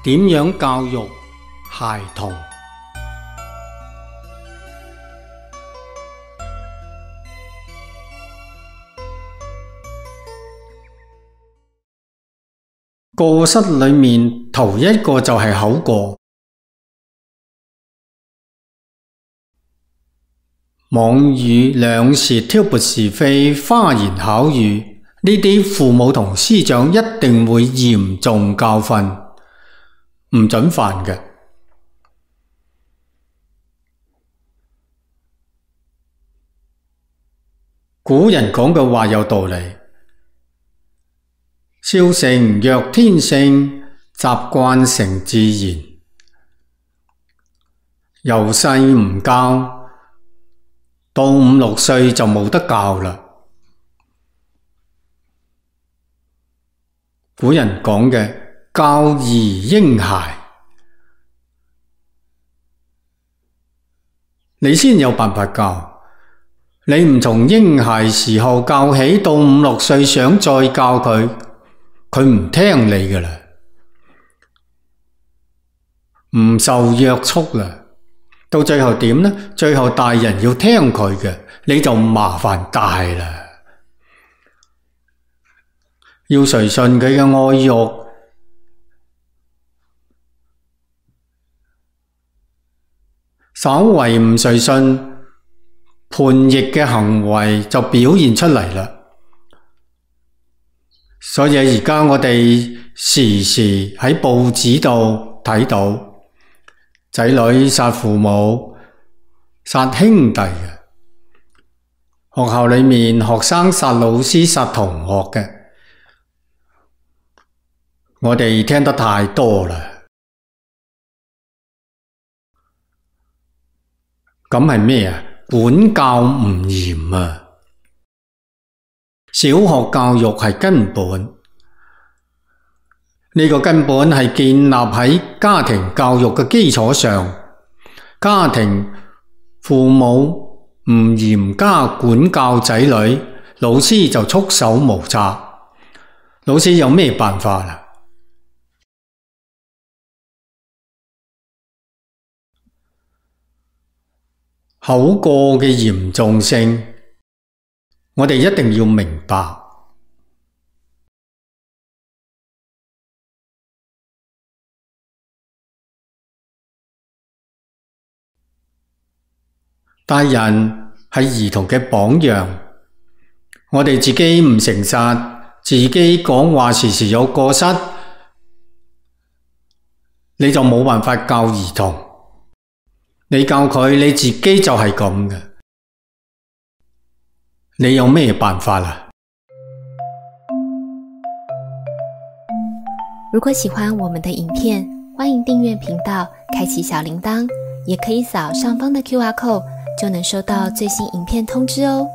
點樣教育孩童？過失裏面頭一個就係口過。妄語兩舌挑撥是非，花言巧語，呢啲父母同師長一定會嚴重教訓，唔准犯嘅。古人講嘅話有道理，笑成若天性，習慣成自然。由細唔教，到5、6歲就冇得教啦。古人講嘅教兒嬰孩，你先有辦法教。你唔從嬰孩時候教起，到5、6歲想再教佢，佢唔聽你㗎啦，唔受約束啦。到最後點呢？最後大人要聽佢嘅，你就麻煩大啦。要隨順佢嘅愛欲，稍為唔隨順，叛逆嘅行為就表現出嚟啦。所以而家我哋時時喺報紙度睇到仔女殺父母、殺兄弟嘅，學校裏面學生殺老師、殺同學嘅，我哋聽得太多啦。咁係咩啊？管教唔嚴啊！小學教育係根本，呢個根本係建立喺家庭教育嘅基礎上。家庭父母唔嚴加管教仔女，老師就束手無策。老師有咩辦法啦？口過嘅嚴重性，我哋一定要明白。大人係兒童嘅榜樣，我哋自己唔誠實，自己講話時時有過失，你就冇辦法教兒童。你教佢，你自己就係咁嘅，你有咩辦法啦？如果喜歡我們的影片，歡迎訂閱頻道，開啟小鈴鐺，也可以掃上方的QR code，就能收到最新影片通知哦。